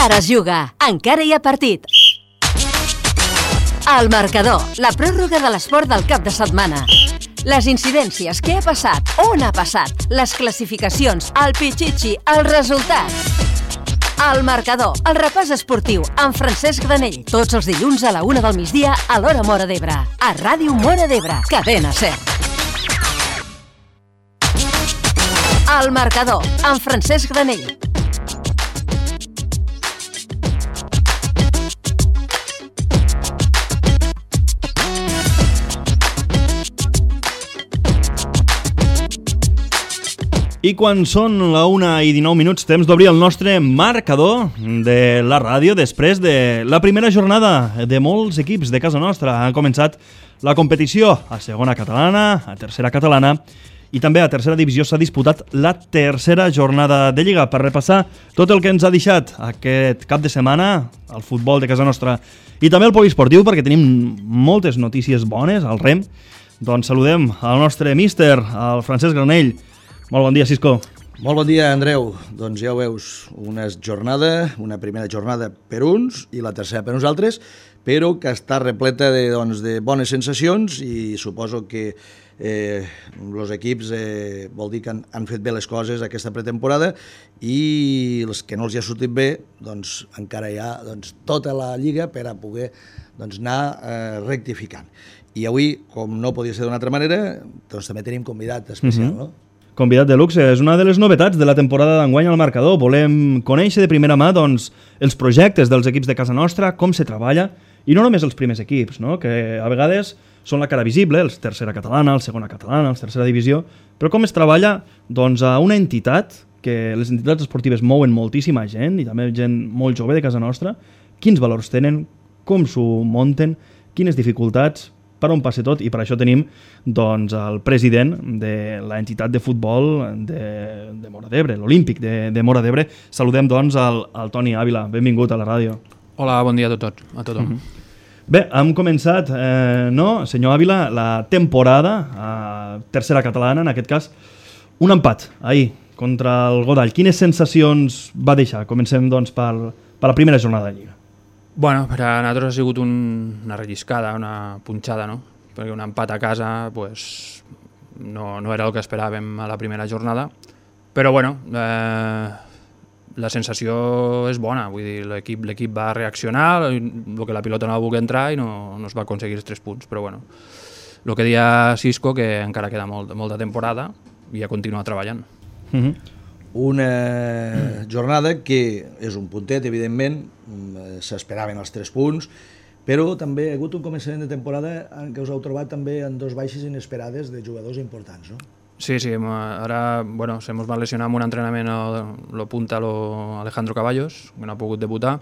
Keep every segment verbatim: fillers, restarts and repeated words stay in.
Encara es juga, encara hi ha partit. El marcador, la pròrroga de l'esport del cap de setmana. Les incidències, què ha passat, on ha passat, les classificacions, el pitxitxi, els resultats. El marcador, el repàs esportiu, amb Francesc Granell. Tots els dilluns a la una del migdia a l'Hora Móra d'Ebre. A Ràdio Móra d'Ebre, cadena SER. El marcador, amb Francesc Granell. I quan són la una i dinou minuts, temps d'obrir el nostre marcador de la ràdio després de la primera jornada de molts equips de casa nostra. Ha començat la competició a segona catalana, a tercera catalana i també a tercera divisió s'ha disputat la tercera jornada de Lliga. Per repassar tot el que ens ha deixat aquest cap de setmana, el futbol de casa nostra i també el poliesportiu, perquè tenim moltes notícies bones al rem, doncs saludem al nostre míster, el Francesc Granell. Molt bon dia, Cisco. Molt bon dia, Andreu. Doncs ja ho veus, una jornada, una primera jornada per uns i la tercera per nosaltres, però que està repleta de, doncs, de bones sensacions i suposo que eh, els equips eh, vol dir que han, han fet bé les coses aquesta pretemporada i els que no els hi ha sortit bé, doncs encara hi ha doncs, tota la lliga per a poder doncs, anar eh, rectificant. I avui, com no podia ser d'una altra manera, doncs també tenim convidat especial, mm-hmm. no? Convidat de luxe, és una de les novetats de la temporada d'enguany al marcador. Volem conèixer de primera mà doncs, els projectes dels equips de casa nostra, com se treballa, i no només els primers equips, no? Que a vegades són la cara visible, els tercera catalana, el segona catalana, els tercera divisió, però com es treballa doncs, a una entitat, que les entitats esportives mouen moltíssima gent, i també gent molt jove de casa nostra, quins valors tenen, com s'ho munten, quines dificultats, per on passa tot, i per això tenim doncs, el president de l'entitat de futbol de, de Móra d'Ebre, l'Olímpic de, de Móra d'Ebre. Saludem doncs al, al Toni Ávila. Benvingut a la ràdio. Hola, bon dia a tothom. A tothom. Mm-hmm. Bé, hem començat, eh, no, senyor Ávila, la temporada a tercera catalana, en aquest cas, un empat ahir contra el Godall. Quines sensacions va deixar? Comencem doncs, per, per la primera jornada de Lliga. Bueno, per a nosaltres ha sigut un, una relliscada, una punxada, no? Perquè un empat a casa pues, no, no era el que esperàvem a la primera jornada, però bueno, eh, la sensació és bona, vull dir, l'equip, l'equip va reaccionar, el que la pilota no va voler entrar i no, no es va aconseguir els tres punts, però bueno, el que deia Cisco, que encara queda molt, molta temporada i a continuar treballant. Mm-hmm. Una jornada que és un puntet, evidentment, s'esperaven els tres punts, però també ha hagut un començament de temporada en què us heu trobat també en dos baixes inesperades de jugadors importants, no? Sí, sí, ara bueno, se mos va lesionar amb un entrenament lo punta lo Alejandro Caballos, que no ha pogut debutar,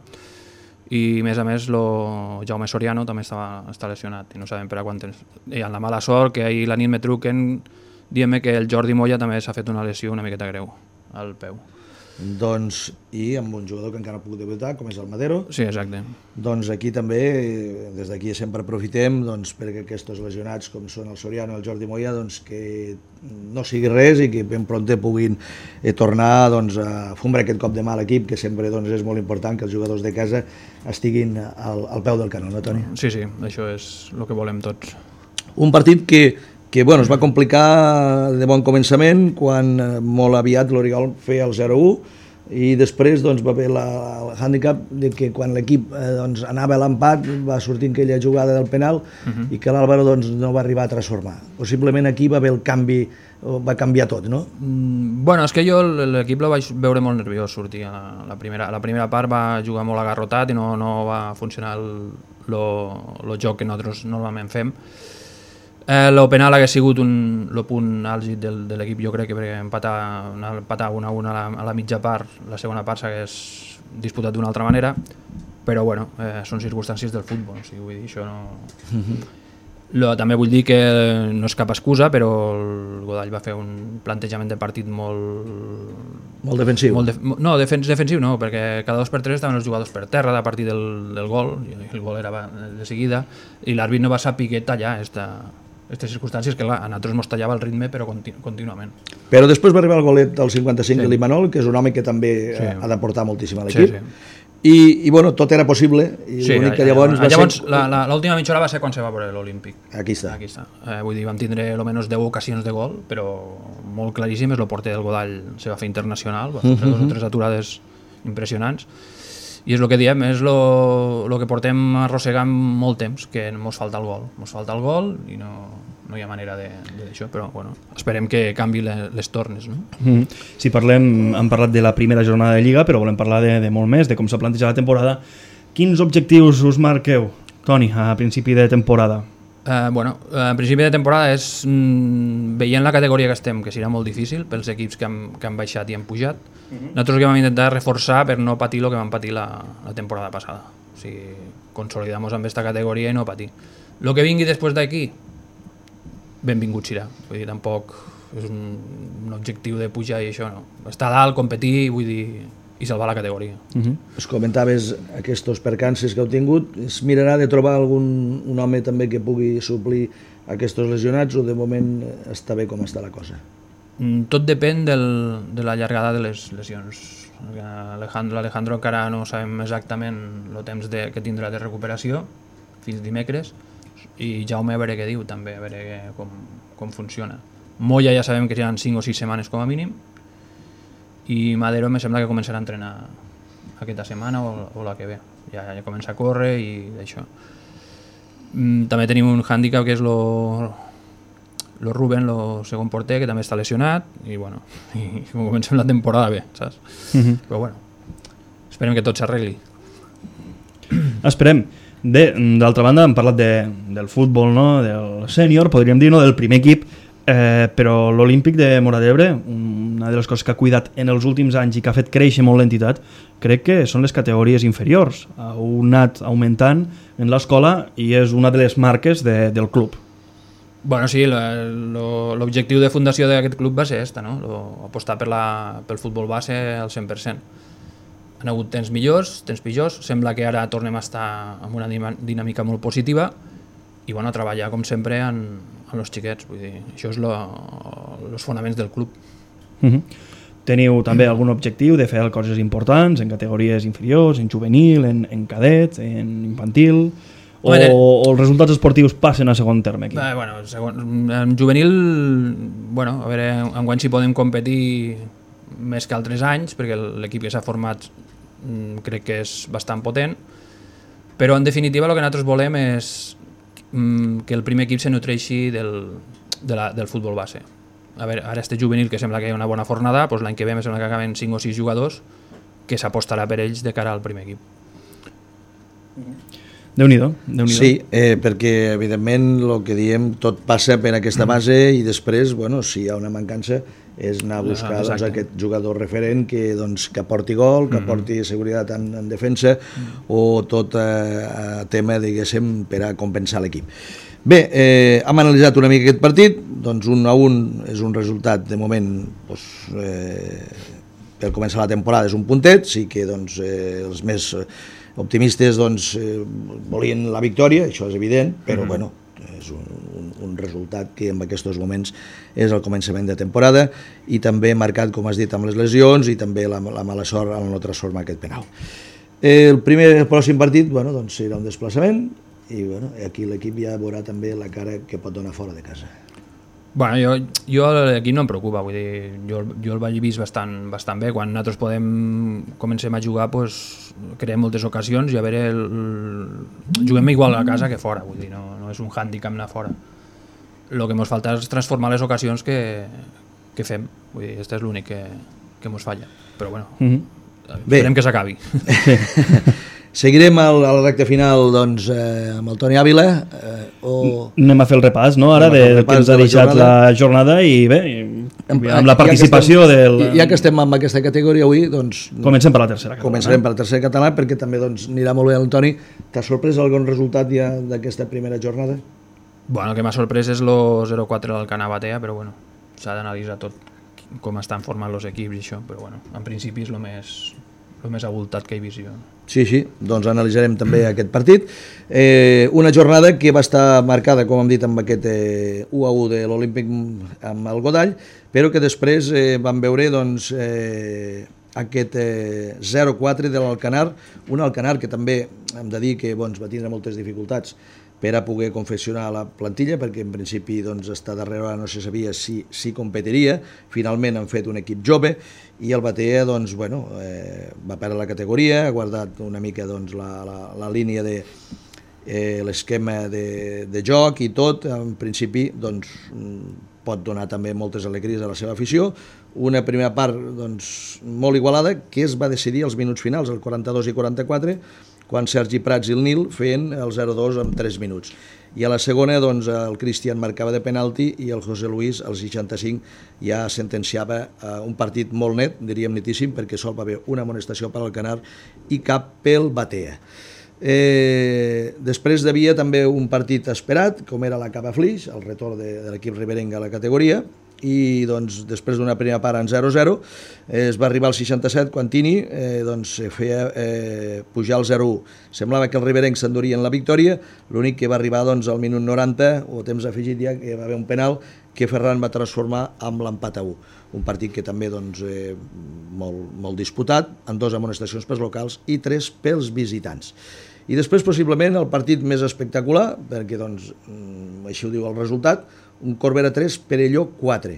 i a més a més lo Jaume Soriano també estava, està lesionat i no sabem per a quant temps. I amb la mala sort que ahir la nit me truquen dient-me que el Jordi Moya també s'ha fet una lesió una miqueta greu al peu. Doncs, i amb un jugador que encara no ha pogut debutar, com és el Madero. Sí, exacte. Doncs aquí també, des d'aquí sempre aprofitem doncs, perquè aquests lesionats com són el Soriano i el Jordi Moya, doncs, que no sigui res i que ben prompte puguin eh, tornar doncs, a fumbre aquest cop de mà a l'equip, que sempre doncs, és molt important que els jugadors de casa estiguin al, al peu del canó, no, Toni? Sí, sí, això és el que volem tots. Un partit que que bueno, es va complicar de bon començament quan eh, molt aviat l'Oriol feia el zero a u i després doncs, va haver la, el hàndicap de que quan l'equip eh, doncs, anava a l'empat va sortir aquella jugada del penal uh-huh. i que l'Àlvaro doncs, no va arribar a transformar. Possiblement aquí va haver el canvi, va canviar tot, no? Mm, bueno, és que jo l'equip la vaig veure molt nerviós sortir. A la, la, primera, la primera part va jugar molt agarrotat i no, no va funcionar el, lo, lo joc que nosaltres normalment fem. El eh, penal hauria sigut un, el punt àlgid del, de l'equip, jo crec que perquè empatar, empatar una a una a la, a la mitja part, la segona part s'hagués disputat d'una altra manera, però bueno, eh, són circumstàncies del futbol, o sigui, vull dir, això no... Mm-hmm. Lo, també vull dir que no és cap excusa, però el Godall va fer un plantejament de partit molt... Molt defensiu. Molt de, no, defens, defensiu no, perquè cada dos per tres estaven els jugadors per terra a partir del, del gol, i el gol era de seguida, i l'àrbit no va saber tallar esta... aquestes circumstàncies que a nosaltres ens tallava el ritme però continu, contínuament. Però després va arribar el golet del cinquanta-cinc sí. de l'Imanol, que és un home que també sí. ha d'aportar moltíssim a l'equip. Sí, sí. I, i bueno, tot era possible, i Sí, l'únic que llavors, llavors va llavors ser... la- la- l'última mitja hora va ser quan se va veure l'Olímpic. Aquí està. Aquí està. Eh, vull dir, vam tindre almenys deu ocasions de gol, però molt claríssimes. El porter del Godall se va fer internacional, va fer uh-huh. dos o tres aturades impressionants. I és el que diem, és el que portem arrossegant molt temps, que ens falta el gol. Ens falta el gol i no, no hi ha manera d'això, però bueno, esperem que canvi les, les tornes. No? Mm. Si parlem, hem parlat de la primera jornada de Lliga, però volem parlar de, de molt més, de com s'ha plantejat la temporada. Quins objectius us marqueu, Toni, a principi de temporada? Eh, bueno, a principi de temporada és mm, veient la categoria que estem, que serà molt difícil pels equips que han, que han baixat i han pujat. Uh-huh. Nosaltres que vam intentar reforçar per no patir el que vam patir la, la temporada passada. O sigui, consolidar-nos amb aquesta categoria i no patir. El que vingui després d'aquí, benvingut serà. Vull dir, tampoc és un, un objectiu de pujar i això, no. Estar dalt, competir, vull dir, i salvar la categoria. Uh-huh. Es comentaves aquests percances que heu tingut, es mirarà de trobar algun un home també que pugui suplir aquests lesionats o de moment està bé com està la cosa? Mm, Tot depèn del, de la llargada de les lesions. L'Alejandro, l'Alejandro encara no sabem exactament el temps de, que tindrà de recuperació fins dimecres, i Jaume a veure què diu també, a veure què, com, com funciona. Moya ja sabem que seran cinc o sis setmanes com a mínim, i Madero me sembla que començarà a entrenar aquesta setmana o, o la que ve. Ja, ja comença a córrer i d'això. Mm, també tenim un hàndicap que és lo, lo Ruben, el segon porter, que també està lesionat, i bueno, i comencem la temporada bé, saps? Uh-huh. Però bueno, esperem que tot s'arregli. Esperem. D'altra banda, hem parlat de, del futbol, no? Del sènior, podríem dir, no? Del primer equip, eh, però l'Olímpic de Móra d'Ebre, una de les coses que ha cuidat en els últims anys i que ha fet créixer molt l'entitat, crec que són les categories inferiors. Ha anat augmentant en l'escola i és una de les marques de, del club. Bueno, sí, l'objectiu de fundació d'aquest club va ser esta, no? Lo, apostar per la, pel futbol base al cent per cent. Han hagut temps millors, temps pitjors, sembla que ara tornem a estar amb una dinàmica molt positiva i bueno, treballar com sempre en, en els xiquets, vull dir, això és els fonaments del club. Uh-huh. Teniu també algun objectiu de fer coses importants en categories inferiors, en juvenil, en, en cadet, en infantil, o, Home, o els resultats esportius passen a segon terme aquí? Eh, bueno, segon, en juvenil, bueno, a veure, enguany si podem competir més que altres anys, perquè l'equip que s'ha format crec que és bastant potent, però en definitiva el que nosaltres volem és que el primer equip se nutreixi del, de la, del futbol base. A veure, ara este juvenil que sembla que hi ha una bona fornada, doncs l'any que ve me sembla que acaben cinc o sis jugadors que s'apostarà per ells de cara al primer equip. Déu-n'hi-do, Déu-n'hi-do. Sí, eh, perquè evidentment el que diem tot passa per aquesta base i després, bueno, si hi ha una mancança és anar a buscar ah, doncs, aquest jugador referent que, doncs, que aporti gol, que aporti mm-hmm. seguretat en, en defensa mm-hmm. o tot eh, tema, diguéssim, per a compensar l'equip. Bé, eh, hem analitzat una mica aquest partit, doncs un a un és un resultat de moment doncs, eh, per començar la temporada és un puntet, sí que doncs, eh, els més optimistes doncs, eh, volien la victòria, això és evident, però mm-hmm. bueno, és un, un, un resultat que en aquests moments és el començament de temporada i també marcat, com has dit, amb les lesions i també la, la mala sort al no transformar aquest penal. El primer el pròxim partit bueno, doncs, serà un desplaçament i bueno, aquí l'equip ja veurà també la cara que pot donar fora de casa. Bueno, jo, jo l'equip no em preocupa, vull dir, jo, jo el vaig vist bastant, bastant bé. Quan nosaltres podem, comencem a jugar, pues, creem moltes ocasions i a veure, el, el, juguem igual a casa que fora, vull dir, no, no és un hàndicap anar fora. El que ens falta és transformar les ocasions que, que fem, vull dir, este és l'únic que, que ens falla, però bueno, mm-hmm. esperem que s'acabi. Seguirem al, a la recta final doncs, eh, amb el Toni Àvila eh, o... Anem a fer el repàs, no? Ara de, que ens ha deixat la jornada i bé, amb, amb la participació ja del... Ja que estem amb aquesta categoria avui, doncs... Comencem per la tercera catalana. Començarem per la tercera catalana perquè també doncs, anirà molt bé el Toni. T'ha sorprès algun resultat ja d'aquesta primera jornada? Bueno, el que m'ha sorprès és el zero quatre del Cana Batea, però bueno, s'ha d'analitzar tot com estan formant els equips i això, però bueno, en principi és el més... el més abultat que he vist jo. Sí, sí, doncs analitzarem també aquest partit. Eh, una jornada que va estar marcada, com hem dit, amb aquest eh, u a u de l'Olímpic amb el Godall, però que després eh, vam veure doncs, eh, aquest eh, zero quatre de l'Alcanar, un Alcanar que també hem de dir que doncs, va tindre moltes dificultats per a poder confeccionar la plantilla, perquè en principi doncs, està darrere no se sabia si, si competiria. Finalment han fet un equip jove i el Batea doncs, bueno, eh, va perdre la categoria, ha guardat una mica doncs, la, la, la línia de eh, l'esquema de, de joc i tot. En principi doncs, pot donar també moltes alegries a la seva afició. Una primera part doncs, molt igualada que es va decidir als minuts finals, el quaranta-dos i quaranta-quatre, quan Sergi Prats i el Nil feien el zero dos en tres minuts. I a la segona doncs, el Cristian marcava de penalti i el José Luis al seixanta-cinc ja sentenciava eh, un partit molt net, diríem netíssim, perquè sol va haver una amonestació per al Canar i cap pel Batea. Eh, després hi havia també un partit esperat, com era la Cava Flix, el retorn de, de l'equip riberenc a la categoria, i doncs, després d'una primera part en zero zero eh, es va arribar al seixanta-set quan Tini eh, doncs, feia eh, pujar al zero u. Semblava que el riberenc s'endurien la victòria, l'únic que va arribar doncs, al minut noranta o temps afegit ja que va haver un penal que Ferran va transformar amb l'empat a u. Un partit que també doncs, eh, molt, molt disputat, amb dues amonestacions pels locals i tres pels visitants. I després, possiblement, el partit més espectacular, perquè doncs, així ho diu el resultat, un Corbera tres, Perelló quatre.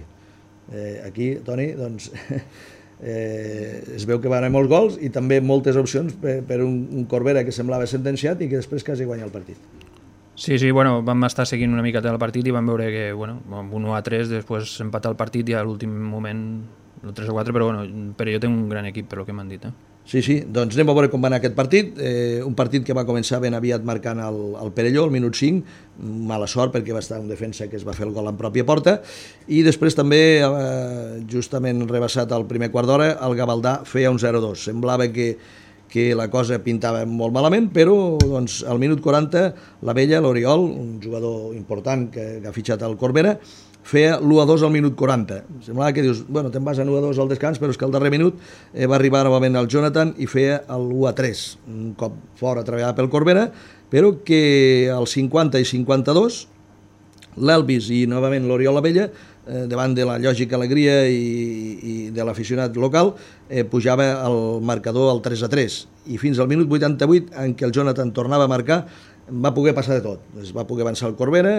Eh, aquí, Toni, doncs, eh, es veu que van haver molts gols i també moltes opcions per, per un, un Corbera que semblava sentenciat i que després quasi guanya el partit. Sí, sí, bueno, vam estar seguint una miqueta el partit i vam veure que, bueno, amb un u a tres, després empatar el partit i a l'últim moment el tres a quatre, però bueno, Perelló té un gran equip, per lo que m'han dit, eh? Sí, sí, doncs anem a veure com va anar aquest partit. Eh, un partit que va començar ben aviat marcant el, el Perelló, al minut cinc, mala sort perquè va estar un defensa que es va fer el gol en pròpia porta, i després també, eh, justament rebassat al primer quart d'hora, el Gavaldà feia un zero dos. Semblava que, que la cosa pintava molt malament, però doncs, al minut quaranta la vella, l'Oriol, un jugador important que, que ha fitxat al Corbera, feia l'u a dos al minut quaranta. Semblava que dius, bueno, te'n vas a l'u a dos al descans, però és que al darrer minut eh, va arribar novament el Jonathan i feia l'u a tres, un cop fora treballat pel Corbera, però que al cinquanta i cinquanta-dos l'Elvis i novament l'Oriol Abella, eh, davant de la lògica alegria i, i de l'aficionat local, eh, pujava el marcador al tres a tres. I fins al minut vuitanta-vuit, en què el Jonathan tornava a marcar, va poder passar de tot. Es va poder avançar el Corbera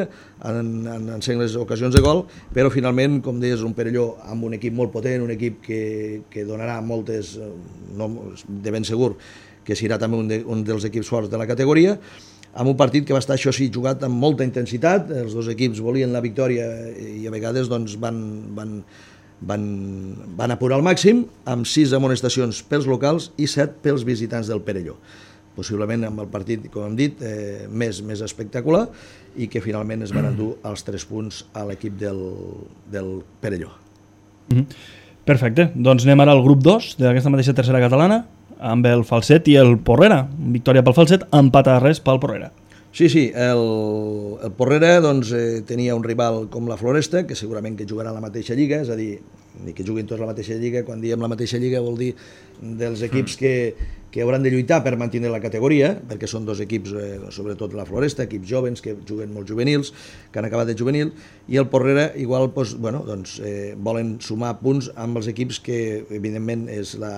en, en, en sengles ocasions de gol, però finalment, com deies, un Perelló amb un equip molt potent, un equip que, que donarà moltes, no, de ben segur, que serà també un, de, un dels equips forts de la categoria, amb un partit que va estar, això sí, jugat amb molta intensitat. Els dos equips volien la victòria i a vegades doncs, van, van, van, van apurar al màxim, amb sis amonestacions pels locals i set pels visitants del Perelló. Possiblement amb el partit, com hem dit, eh, més, més espectacular, i que finalment es van endur els tres punts a l'equip del, del Perelló. Mm-hmm. Perfecte, doncs anem ara al grup dos d'aquesta mateixa tercera catalana, amb el Falset i el Porrera. Victòria pel Falset, empat a res pel Porrera. Sí, sí, el, el Porrera doncs, eh, tenia un rival com la Floresta, que segurament que jugarà a la mateixa lliga, és a dir, ni que juguin tots la mateixa lliga. Quan diem la mateixa lliga vol dir dels equips que, que hauran de lluitar per mantenir la categoria, perquè són dos equips, eh, sobretot la Floresta, equips jovens que juguen molt juvenils, que han acabat de juvenil, i el Porrera igual doncs, bueno, doncs, eh, volen sumar punts amb els equips que evidentment és la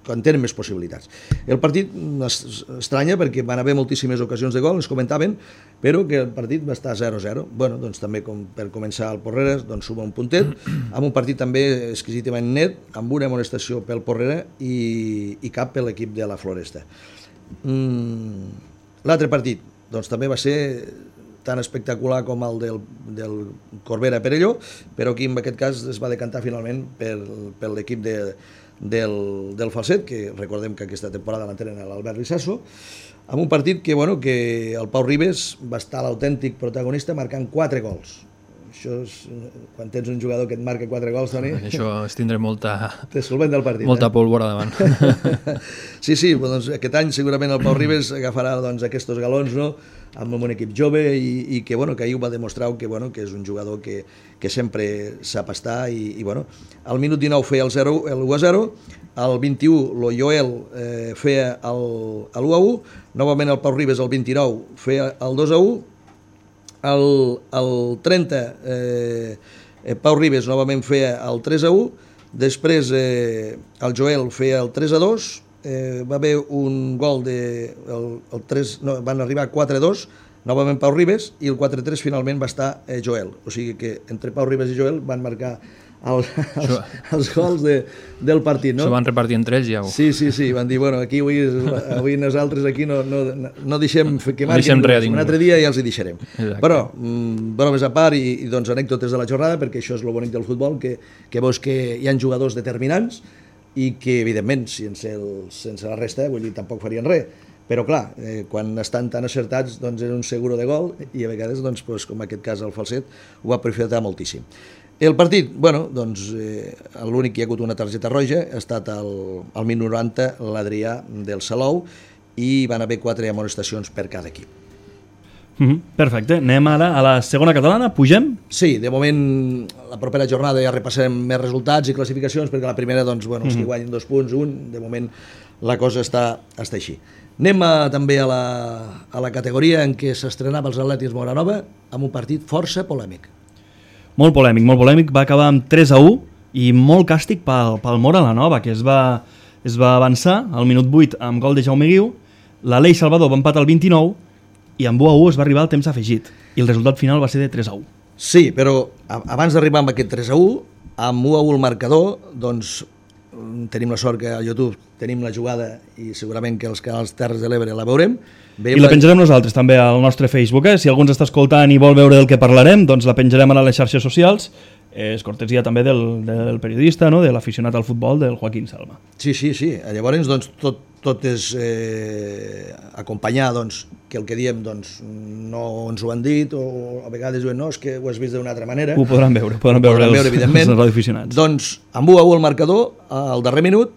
quan tenen més possibilitats. El partit estranya perquè van haver moltíssimes ocasions de gol, ens comentaven, però que el partit va estar zero zero. Bueno, doncs també com per començar el Porrera doncs suma un puntet, amb un partit també exquisitament net, amb una amonestació pel Porrera i, i cap per l'equip de la Floresta. Mm, l'altre partit doncs també va ser tan espectacular com el del, del Corbera Perelló, però aquí en aquest cas es va decantar finalment per, per l'equip de Del, del Falset, que recordem que aquesta temporada l'entrena l'Albert Rissasso, amb un partit que, bueno, que el Pau Ribes va estar l'autèntic protagonista marcant quatre gols. Això és, quan tens un jugador que et marca quatre gols, Toni... Això és tindre molta... Te solvent del partit. Molta eh? pólvora davant. Sí, sí, doncs aquest any segurament el Pau Ribes agafarà doncs, aquests galons, no?, amb un equip jove i, i que, bueno, que ahir ho va demostrar que, bueno, que és un jugador que, que sempre sap estar i, i bueno, al minut dinou feia el, zero, el u a zero, al vint-i-u el Joel eh, feia el, el u a u, novament el Pau Ribes al vint-i-nou feia el dos a u, el, el trenta eh, Pau Ribes novament feia el tres a u, Després eh, el Joel feia el tres a dos, eh, va haver un gol de... El, el tres, no, van arribar quatre a dos, novament Pau Ribes, i el quatre a tres finalment va estar eh, Joel. O sigui que entre Pau Ribes i Joel van marcar el, els, els gols de, del partit. No? S'ho van repartir entre ells ja. Sí, sí, sí, van dir, bueno, aquí avui, avui nosaltres aquí no, no, no deixem que marquin, no deixem un altre dia ja els hi deixarem. Exacte. Però, mm, bromes a part i, i doncs anècdotes de la jornada, perquè això és el bonic del futbol, que, que veus que hi ha jugadors determinants i que, evidentment, sense, el, sense la resta, vull dir, tampoc farien res. Però, clar, eh, quan estan tan acertats, doncs és un seguro de gol i a vegades, doncs, doncs, com en aquest cas el Falset, ho va aprofitar moltíssim. El partit, bueno, doncs, eh, l'únic que hi ha hagut una targeta roja ha estat al, al minut noranta l'Adrià del Salou i van haver quatre amonestacions per cada equip. Mm-hmm. Perfecte. Anem ara a la segona catalana. Pugem? Sí, de moment, la propera jornada ja repassarem més resultats i classificacions, perquè la primera, doncs, bueno, els que guanyen dos punts, un, de moment la cosa està, està així. Anem a, també a la, a la categoria en què s'estrenava els Atlètics Moranova amb un partit força polèmic. Molt polèmic, molt polèmic. Va acabar amb tres a u i molt càstig pel, pel Mora la Nova, que es va, es va avançar al minut vuit amb gol de Jaume Guiu. L'Aleix Salvador va empatar al vint-i-nou i amb u a u es va arribar al temps afegit i el resultat final va ser de tres a u. Sí, però abans d'arribar amb aquest tres a u, amb u a u el marcador, doncs tenim la sort que a YouTube tenim la jugada i segurament que els canals Terres de l'Ebre la veurem. I la penjarem nosaltres també al nostre Facebook, eh? Si algú ens està escoltant i vol veure del que parlarem, doncs la penjarem a les xarxes socials. És cortesia també del, del periodista, no? De l'aficionat al futbol, del Joaquín Salma. Sí, sí, sí. Llavors, doncs, tot, tot és eh, acompanyar doncs, que el que diem doncs, no ens ho han dit, o a vegades diuen, no, és que ho has vist d'una altra manera. Ho podran veure, ho podran ho veure, podran veure els, evidentment. els radioaficionats. Doncs, amb u a u el marcador, al darrer minut,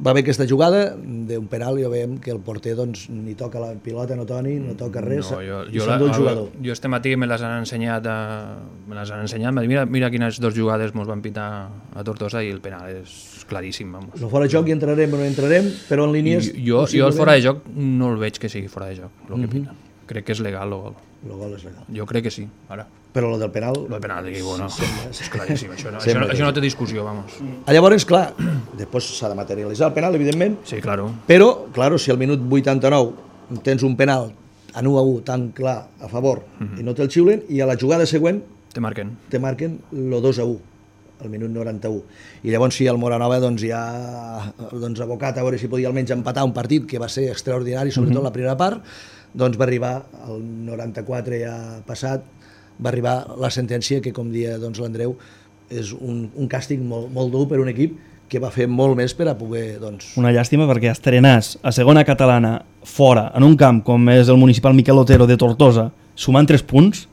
va haver aquesta jugada d'un penal i ja veiem que el porter doncs, ni toca la pilota, no Toni, no toca res, no, jo, i jo s'endú el jugador. Jo este matí me les han ensenyat, a, me les han ensenyat, mira, mira quines dues jugades mos van pitar a Tortosa i el penal és claríssim. Vamos. No fora de joc hi entrarem o no entrarem, però en línies... Jo, jo el fora de joc no el veig que sigui fora de joc, el que mm-hmm. pita. Crec que és legal el gol. El gol és legal. Jo crec que sí, ara. Però el del penal... El del penal, digui, bueno, és claríssim, això no, això, no, això no té discussió, vamos. Llavors, clar, després s'ha de materialitzar el penal, evidentment. Sí, claro. Però, claro, si al minut vuitanta-nou tens un penal en u a u tan clar a favor mm-hmm. i no te'l xiulen, i a la jugada següent te marquen, te marquen el dos a u, al minut noranta-u. I llavors sí, el Moranova doncs, ja doncs, abocat a veure si podia almenys empatar un partit que va ser extraordinari, sobretot mm-hmm. la primera part, doncs va arribar al noranta-quatre ja passat, va arribar la sentència que, com dia doncs, l'Andreu, és un, un càstig molt, molt dur per un equip que va fer molt més per a poder... Doncs... Una llàstima perquè estrenàs a segona catalana fora, en un camp com és el municipal Miquel Otero de Tortosa, sumant tres punts,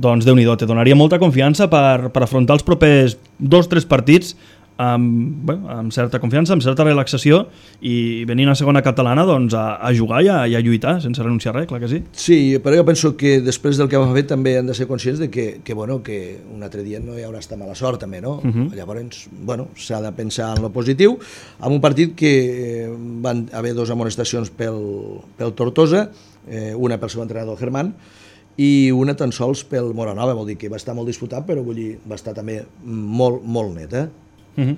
doncs Déu-n'hi-do, te donaria molta confiança per, per afrontar els propers dos o tres partits amb, bé, amb certa confiança, amb certa relaxació i venint a segona catalana doncs, a, a jugar i a, i a lluitar sense renunciar a res, clar que sí. Sí, però jo penso que després del que hem fet també han de ser conscients de que, que, bueno, que un altre dia no hi haurà estar mala sort també, no? Uh-huh. Llavors, bueno, s'ha de pensar en lo positiu, amb un partit que van haver dues amonestacions pel, pel Tortosa, eh, una pel seu entrenador Germán, i una tan sols pel Moranova, vol dir que va estar molt disputat, però vull dir, va estar també molt, molt net, eh? Uh-huh.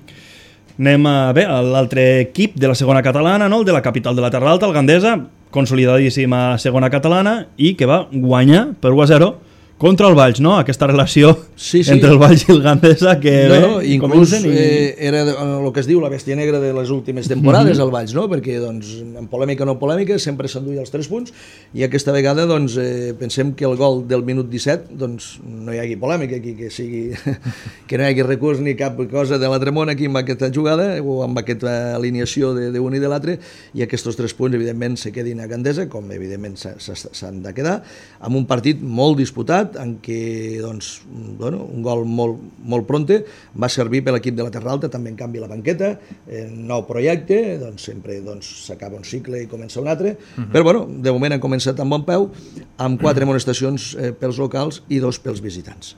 Anem a, bé, a l'altre equip de la segona catalana, no? El de la capital de la Terra Alta, el Gandesa, consolidadíssima segona catalana i que va guanyar per u a zero contra el Valls, no? Aquesta relació sí, sí. entre el Valls i el Gandesa que no, bé, no, inclús i... eh, era el que es diu la bèstia negra de les últimes temporades, mm-hmm. el Valls, no? Perquè doncs, en polèmica o no polèmica sempre s'enduia els tres punts i aquesta vegada doncs, eh, pensem que el gol del minut disset doncs, no hi hagi polèmica aquí, que sigui que no hi hagi recurs ni cap cosa de l'altre món aquí amb aquesta jugada o amb aquesta alineació d'un i de l'altre i aquests tres punts evidentment se quedin a Gandesa, com evidentment s'han de quedar, amb un partit molt disputat en què doncs, bueno, un gol molt, molt pronte va servir per l'equip de la Terra Alta, també en canvi la banqueta, eh, nou projecte, doncs sempre s'acaba doncs, un cicle i comença un altre, uh-huh. però bueno, de moment han començat amb bon peu, amb quatre amonestacions eh, pels locals i dos pels visitants.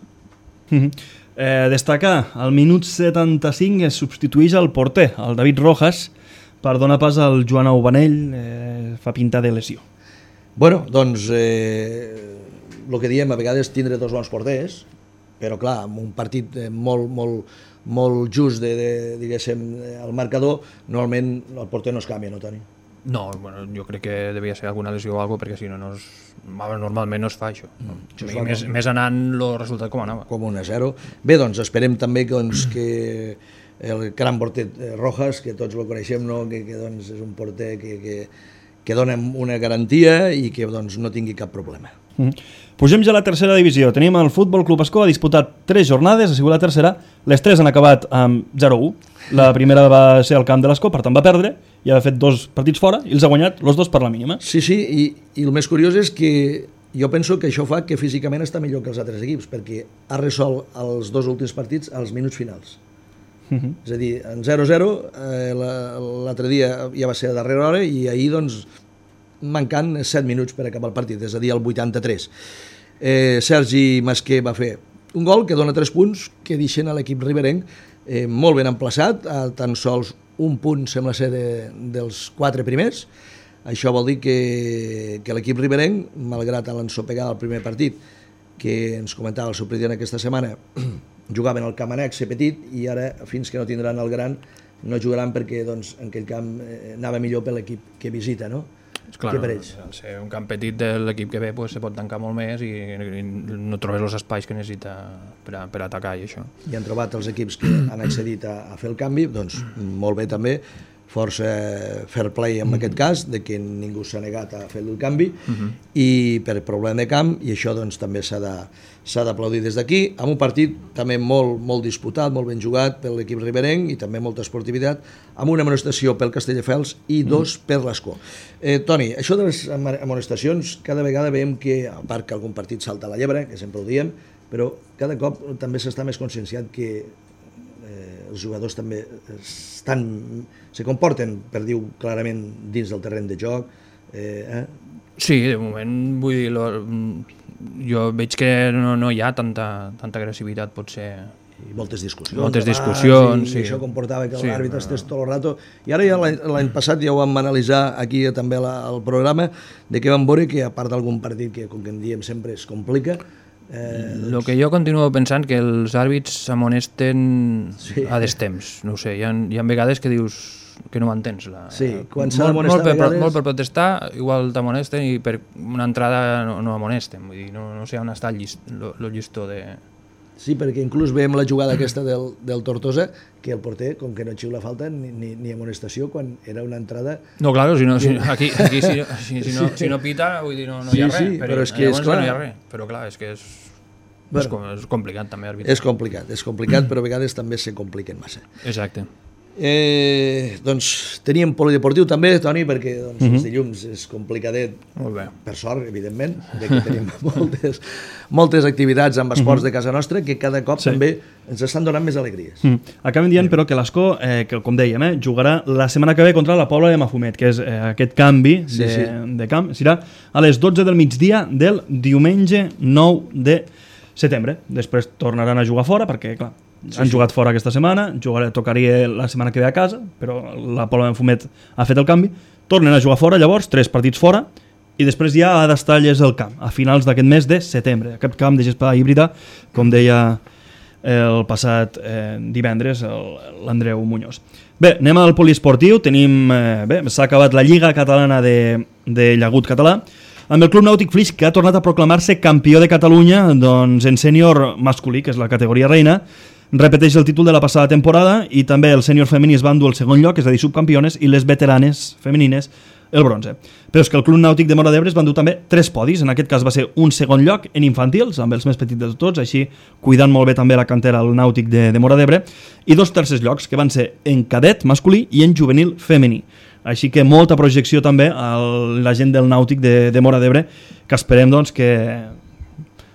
Uh-huh. eh, destacar, al minut setanta-cinc es substitueix el porter, el David Rojas, per donar pas al Joan Aubanell, eh, fa pinta de lesió. Bueno, doncs... Eh, el que diem, a vegades tindre dos bons porters però clar, amb un partit molt, molt, molt just de, de, diguéssim, al marcador, normalment el porter no es canvia, no, Toni? No, bueno, jo crec que devia ser alguna lesió o alguna cosa, perquè si no, no es, normalment no es fa això. Mm, això I més, com... més anant el resultat com anava. Com un a zero. Bé, doncs esperem també doncs, que el gran porter Rojas, que tots el coneixem, no? que, que doncs, és un porter que, que, que dona una garantia i que doncs, no tingui cap problema. Mm. Pugem ja a la tercera divisió. Tenim el Futbol Club Ascó, ha disputat tres jornades, ha sigut la tercera, les tres han acabat amb zero a u. La primera va ser al camp de l'Ascó, per tant va perdre, i ha fet dos partits fora i els ha guanyat els dos per la mínima. Sí, sí, i, i el més curiós és que jo penso que això fa que físicament està millor que els altres equips, perquè ha resolt els dos últims partits als minuts finals. Uh-huh. És a dir, en zero a zero, eh, l'altre dia ja va ser a darrera hora i ahir, doncs, mancant set minuts per acabar el partit, és a dir, el vuitanta-tres. Eh, Sergi Masquer va fer un gol que dona tres punts que deixen a l'equip riberenc eh, molt ben emplaçat, a tan sols un punt sembla ser de, dels quatre primers. Això vol dir que, que l'equip riberenc, malgrat l'ensopegada al primer partit, que ens comentava el seu president aquesta setmana, jugaven al camp annex petit i ara, fins que no tindran el gran, no jugaran perquè doncs, en aquell camp eh, anava millor per l'equip que visita, no? Clar, per ells. Al ser un camp petit de l'equip que ve pues, se pot tancar molt més i, i no trobes els espais que necessita per, a, per atacar i això. I han trobat els equips que han accedit a, a fer el canvi, doncs molt bé també, força fair play en aquest cas, de que ningú s'ha negat a fer el canvi, uh-huh. i per problema de camp, i això doncs també s'ha de, s'ha d'aplaudir des d'aquí, amb un partit també molt, molt disputat, molt ben jugat per l'equip riberenc i també molta esportivitat, amb una amonestació pel Castelldefels i dos uh-huh. per l'Ascó. Eh, Toni, això de les amonestacions, cada vegada veiem que, a part que algun partit salta a la llebre, que sempre ho diem, però cada cop també s'està més conscienciat que eh, els jugadors també estan, se comporten, per dir-ho clarament, dins del terreny de joc. Eh, eh? Sí, de moment, vull dir, lo, jo veig que no, no hi ha tanta, tanta agressivitat, potser. I moltes discussions. Moltes discussions, i, sí. I això comportava que sí, l'àrbitre no. estés tot el rato. I ara ja l'any passat ja ho vam analitzar aquí també al programa, de que vam veure que, a part d'algun partit que, com que en diem sempre, es complica, Eh, doncs... El que jo continuo pensant que els àrbits s'amonesten sí. a destemps, no ho sé, hi ha, hi ha vegades que dius que no m'entens. La... Sí, quan s'ha d'amonestar molt, vegades... molt per protestar, igual t'amonesten i per una entrada no, no amonesten, vull dir, no, no sé on està el llist, lo, lo llistó de... Sí, perquè inclús veiem la jugada aquesta del, del Tortosa, que el porter, com que no xiula falta ni, ni, ni amonestació, quan era una entrada... No, clar, si no, si, aquí, aquí si, si, si, no, si no pita, vull dir, no, no sí, hi ha res, sí, però, però és que és clar. No hi ha res, però clar, és que és, bueno, és, és complicat també arbitrar. És complicat, és complicat, però a vegades també se compliquen massa. Exacte. Eh, doncs teníem polideportiu també, Toni, perquè doncs, mm-hmm. els dilluns és complicadet, per sort, evidentment, de que tenim moltes, moltes activitats amb esports mm-hmm. de casa nostra que cada cop sí. també ens estan donant més alegries. Mm. Acabem dient, però, que l'Ascó, eh, que com dèiem, eh, jugarà la setmana que ve contra la Pobla de Mafumet, que és eh, aquest canvi de, sí, sí. de camp, serà a les dotze del migdia del diumenge nou de setembre. Després tornaran a jugar fora, perquè, clar, sí, han sí. jugat fora aquesta setmana, jugaré, tocaria la setmana que ve a casa, però la Pobla de Mafumet ha fet el canvi, tornen a jugar fora, llavors, tres partits fora, i després ja ha d'estar llest el camp, a finals d'aquest mes de setembre. Aquest camp de gespa híbrida, com deia el passat eh, divendres l'Andreu Muñoz. Bé, anem al poliesportiu, tenim, eh, bé, s'ha acabat la Lliga Catalana de, de Llagut Català, amb el Club Nàutic Flix, que ha tornat a proclamar-se campió de Catalunya doncs, en sènior masculí, que és la categoria reina, repeteix el títol de la passada temporada, i també el sènior femení es va endur el segon lloc, és a dir, subcampiones, i les veteranes femenines el bronze. Però és que el Club Nàutic de Móra d'Ebre es va endur també tres podis, en aquest cas va ser un segon lloc en infantils, amb els més petits de tots, així cuidant molt bé també la cantera al Nàutic de, de Móra d'Ebre, i dos tercers llocs, que van ser en cadet masculí i en juvenil femení. Així que molta projecció també a la gent del Nàutic de, de Móra d'Ebre, que esperem doncs, que,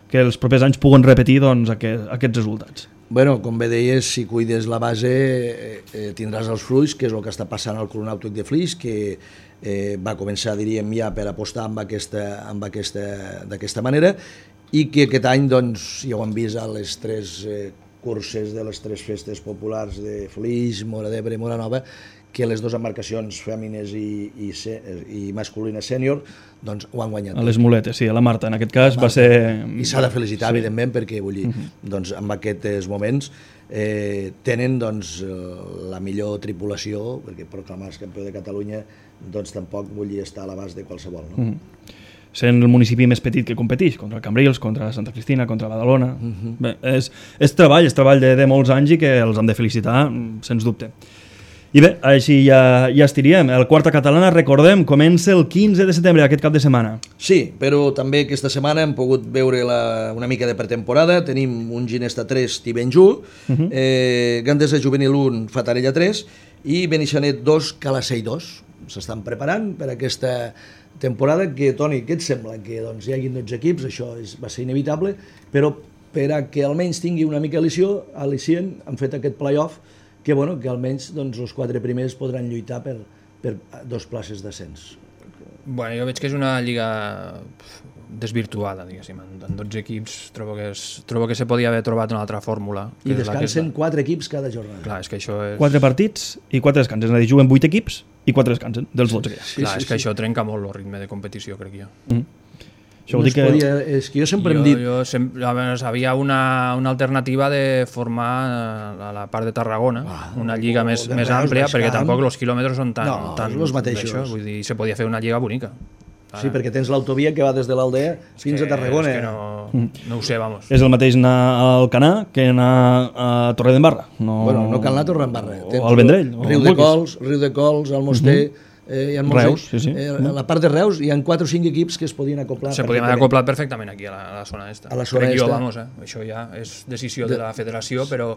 que els propers anys puguen repetir doncs, aquest, aquests resultats. Bueno, com bé deies, si cuides la base eh, tindràs els fruits, que és el que està passant al Club Nàutic de Flix, que eh, va començar, diríem, ja per apostar amb aquesta, amb aquesta, d'aquesta manera, i que aquest any, doncs, ja ho hem vist a les tres eh, curses de les tres festes populars de Flix, Móra d'Ebre i Móra Nova, que les dues embarcacions fèmines i, i, i masculines sènior doncs ho han guanyat. A les muletes, sí, a la Marta, en aquest cas va ser... I s'ha de felicitar, sí. evidentment, perquè vull dir, uh-huh. doncs, en aquests moments eh, tenen doncs, la millor tripulació, perquè proclamar-se campió de Catalunya doncs tampoc vull dir estar a l'abast de qualsevol. No? Uh-huh. Sent el municipi més petit que competeix, contra Cambrils, contra Santa Cristina, contra Badalona. Uh-huh. Bé, és, és treball, és treball de, de molts anys i que els han de felicitar, sens dubte. I bé, així ja, ja estiríem. El Quarta Catalana, recordem, comença el quinze de setembre, aquest cap de setmana. Sí, però també aquesta setmana hem pogut veure la, una mica de pretemporada. Tenim un Ginesta tres, Tivenjú, uh-huh. eh, Gandesa Juvenil un, Fatarella tres i Beneixanet dos, Calacell dos. S'estan preparant per aquesta temporada que, Toni, què et sembla? Que doncs, hi hagi dotze equips, això és, va ser inevitable, però per a que almenys tingui una mica al·licient, han fet aquest play-off que, bueno, que almenys doncs, els quatre primers podran lluitar per, per dos places d'ascens. Bueno, jo veig que és una lliga desvirtuada, diguéssim. En dotze equips trobo que, és, trobo que se podia haver trobat una altra fórmula. I descansen quatre equips cada jornada. Clar, és que això és... Quatre partits i quatre descansen. És a dir, juguen vuit equips i quatre descansen, dels dotze. Sí, Clar, sí, és que sí. Això trenca molt el ritme de competició, crec jo. Mm. Això no vol dir que... podia, és que jo sempre jo, hem dit... Jo sempre, veure, havia una, una alternativa de formar a la part de Tarragona, ah, una lliga més, més àmplia, perquè camp. Tampoc els quilòmetres són tan... No, tan els mateixos. Això, vull dir, se podia fer una lliga bonica. Sí, perquè tens l'autovia que va des de l'Aldea fins que, a Tarragona. És que no, no ho sé, vamos. És el mateix anar al Canà que anar a Torredembarra. No... Bueno, no cal anar a Torredembarra. O al Vendrell. Riu de Cols, Riu de Cols, el Moster... Uh-huh. Eh, Reus, sí, sí. Eh, a la part de Reus hi ha quatre o cinc equips que es podien acoplar. Se podien haver acoplat perfectament aquí a la, a la zona esta. A la zona Crec esta. Jo, vamos, eh? Això ja és decisió de, de la federació, però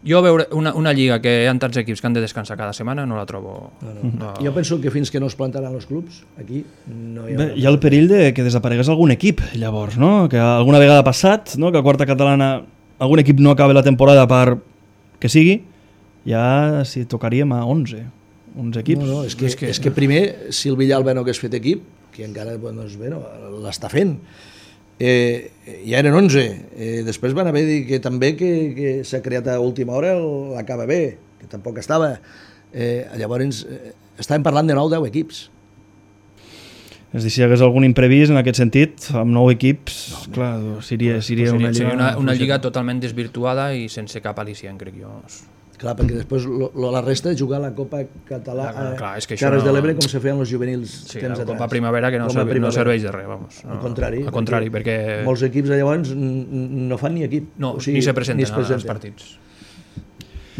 jo veure una, una lliga que hi ha tants equips que han de descansar cada setmana no la trobo... No, no. No. Jo penso que fins que no es plantaran els clubs, aquí no hi ha... Bé, hi ha el perill de que desaparegués algun equip, llavors, no? Que alguna vegada ha passat, no? Que a Quarta Catalana algun equip no acabi la temporada per que sigui, ja si tocaríem a onze. Uns equips. No, no, és que, és que, és que primer, si el Villalba no hagués fet equip, que encara doncs, bé, no, l'està fent, eh, ja eren onze. Eh, després van haver dit que també que, que s'ha creat a última hora l'acaba bé, que tampoc estava. Eh, llavors, eh, estàvem parlant de nou o deu equips. És dir, si hi hagués algun imprevist en aquest sentit, amb nou equips, no, clar, seria, seria, seria, una, lliga, seria una, una lliga totalment desvirtuada i sense cap al·licient, crec jo. Clar, perquè després lo, lo, la resta és jugar la Copa Catalana clar, és que Terres no... de l'Ebre com se feien els juvenils sí, temps la atrás. Copa Primavera que no, serve, primavera. no serveix de res, vamos. No, al contrari, al contrari perquè, perquè molts equips llavors no fan ni equip. No, o sigui, ni se presenten, ni presenten als partits.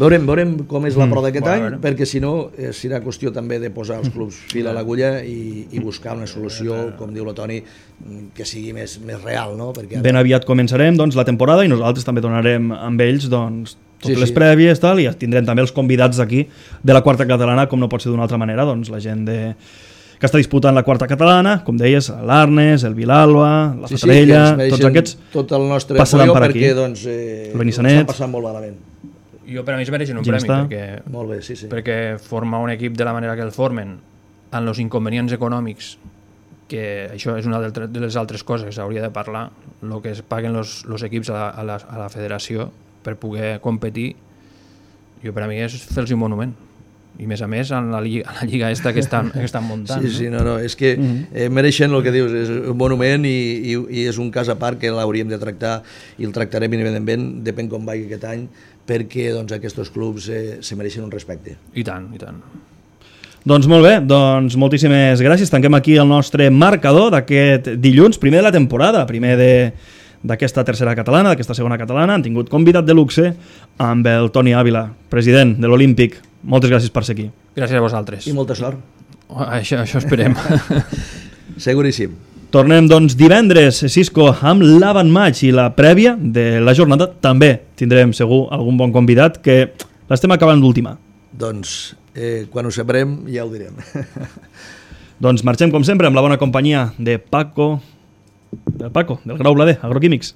Veurem, veurem com és la mm, prova d'aquest bueno, any, perquè si no eh, serà qüestió també de posar els clubs fil a l'agulla i, i buscar una solució, com diu la Toni, que sigui més, més real. No? Perquè ben aviat començarem doncs, la temporada i nosaltres també tornarem amb ells doncs, totes sí, les sí. prèvies tal, i tindrem també els convidats aquí de la Quarta Catalana, com no pot ser d'una altra manera, doncs la gent de... que està disputant la Quarta Catalana, com deies, l'Arnes, el Vilalba, la sí, Fatarella, sí, tots aquests tot el nostre passaran per perquè, aquí. Doncs, eh, el Benissanet. Estan passant molt malament. Jo per a mi es mereixen un ja premi, està. perquè, molt bé, sí, sí. perquè formar un equip de la manera que el formen, amb els inconvenients econòmics, que això és una de les altres coses que s'hauria de parlar, el que es paguen els equips a la, a, la, a la federació per poder competir, jo per a mi és fer-los un monument. I més a més en la lliga, la lliga esta que estan, que estan muntant. Sí, sí, no, no, és que eh, mereixen el que dius, és un monument i, i, i és un cas a part que l'hauríem de tractar i el tractarem evidentment, depèn com vagi aquest any, perquè doncs, aquests clubs eh, se mereixen un respecte. I tant, i tant. Doncs molt bé, doncs moltíssimes gràcies. Tanquem aquí el nostre marcador d'aquest dilluns, primer de la temporada, primer de... d'aquesta tercera catalana, d'aquesta segona catalana. Han tingut convidat de luxe amb el Toni Àvila, president de l'Olímpic. Moltes gràcies per ser aquí. Gràcies a vosaltres. I molta sort. Això, això esperem. Seguríssim. Tornem, doncs, divendres, Cisco, amb l'avantmatch i la prèvia de la jornada. També tindrem, segur, algun bon convidat que l'estem acabant d'ultimar. Doncs, eh, quan ho sabrem, ja ho direm. Doncs marxem, com sempre, amb la bona companyia de Paco... del Paco, del Grau Blader, Agroquímics.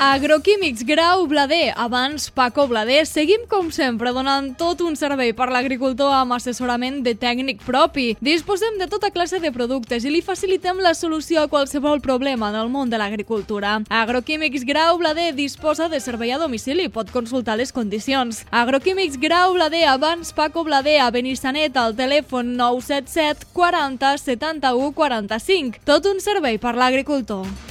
Agroquímics Grau Blader, abans Paco Blader. Seguim, com sempre, donant tot un servei per l'agricultor amb assessorament de tècnic propi. Disposem de tota classe de productes i li facilitem la solució a qualsevol problema en el món de l'agricultura. Agroquímics Grau Blader disposa de servei a domicili, pot consultar les condicions. Agroquímics Grau Blader, abans Paco Blader, a Benissanet, al telèfon nou set set quaranta setanta-u quaranta-cinc. Tot un servei per l'agricultor.